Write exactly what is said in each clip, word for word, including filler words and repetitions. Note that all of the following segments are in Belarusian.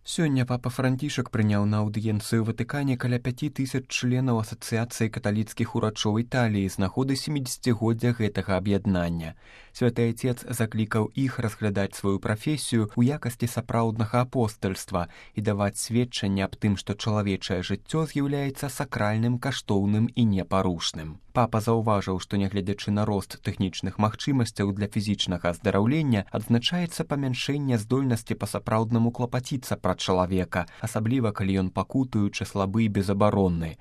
Сёння папа Францішак прыняў на аўдыенцыю ў Ватыкане каля пяці тысяч членаў Асацыяцыі каталіцкіх урачоў Італіі з нагоды сямідзесяцігоддзя гэтага аб'яднання. Святы Айцец заклікаў іх разглядаць сваю прафесію ў якасці сапраўднага апостальства і даваць сведчанне аб тым, што чалавечае жыццё з'яўляецца сакральным, каштоўным і непарушным. Папа заўважыў, што нягледзячы на рост тэхнічных магчымасцяў для фізічнага аздараўлення, адзначаецца памяншэнне здольнасці па-сапраўднаму клапаціцца пра чалавека, асабліва калі ён пакутуючы слабы і безабаронны.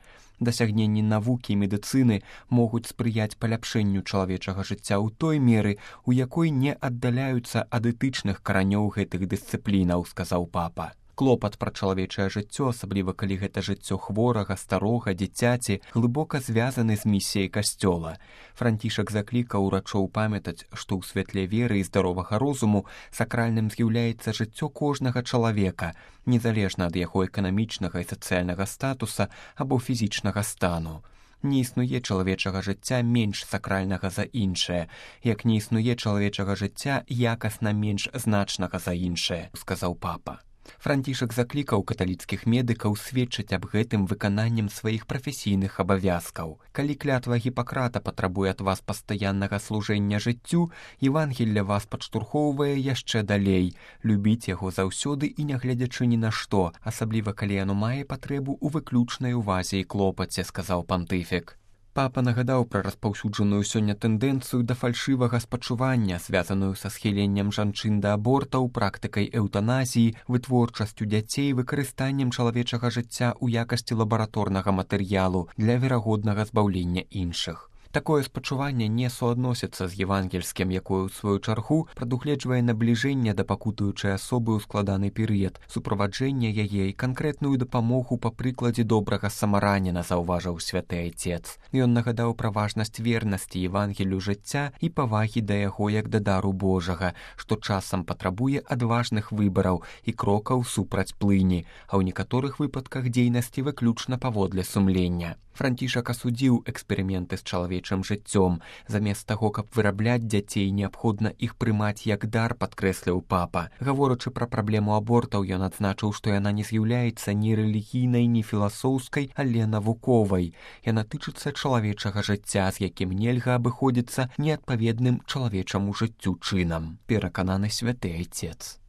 Дасягненні навукі і медыцыны могуць спрыяць паляпшэнню чалавечага жыцця ў той меры, у якой не аддаляюцца ад этычных каранёў гэтых дысцыплінаў, сказаў папа. Клопат пра чалавечае жыццё, асабліва калі гэта жыццё хворага, старога, дзіцяці, глыбока звязаны з місіяй касцёла. Францішак заклікаў урачоў памятаць, што ў святле веры і здаровага розуму сакральным з'яўляецца жыццё кожнага чалавека, незалежна ад яго эканамічнага і сацыяльнага статуса або фізічнага стану. Не існуе чалавечага жыцця менш сакральнага за іншае, як не існуе чалавечага жыцця якасна менш значнага за іншае, сказаў папа. Францішак заклікаў каталіцкіх медыкаў сведчыць аб гэтым выкананнем сваіх прафесійных абавязкаў. Калі клятва Гіпакрата патрабуе ад вас пастаяннага служэння жыццю, Евангелле вас падштурхоўвае яшчэ далей. Любіць яго заўсёды і нягледзячы ні на што, асабліва калі яно мае патрэбу ў выключнай увазе і клопаце, сказаў пантыфік. Папа нагадаў пра распаўсюджаную сёння тэндэнцыю да фальшывага спачування, звязаную са схіленнем жанчын да абортаў, практыкай эўтаназіі, вытворчасцю дзяцей, выкарыстаннем чалавечага жыцця ў якасці лабараторнага матэрыялу для верагоднага збаўлення іншых. Такое спачуванне не суадносіцца з евангельскім, якое, у сваю чаргу, прадугледжвае набліжэнне да пакутуючай асобы ў складаны перыяд, суправаджэнне яе і канкрэтную дапамогу па прыкладзе добрага самараніна, заўважыў святы Айцец. Ён нагадаў пра важнасць вернасці Евангелію жыцця і павагі да яго як да дару Божага, што часам патрабуе адважных выбараў і крокаў супраць плыні, а ў некаторых выпадках дзейнасці выключна паводле сумлення. Францішак асудзіў эксперыменты з чалавечым жыццём. Замест таго, каб вырабляць дзяцей, неабходна іх прымаць як дар, падкрэсліў папа. Гаворачы пра праблему абортаў, ён адзначыў, што яна не з'яўляецца ні рэлігійнай, ні філасофскай, але навуковай. Яна тычыцца чалавечага жыцця, з якім нельга абыходзіцца неадпаведным чалавечаму жыццю чынам, перакананы святы Айцец.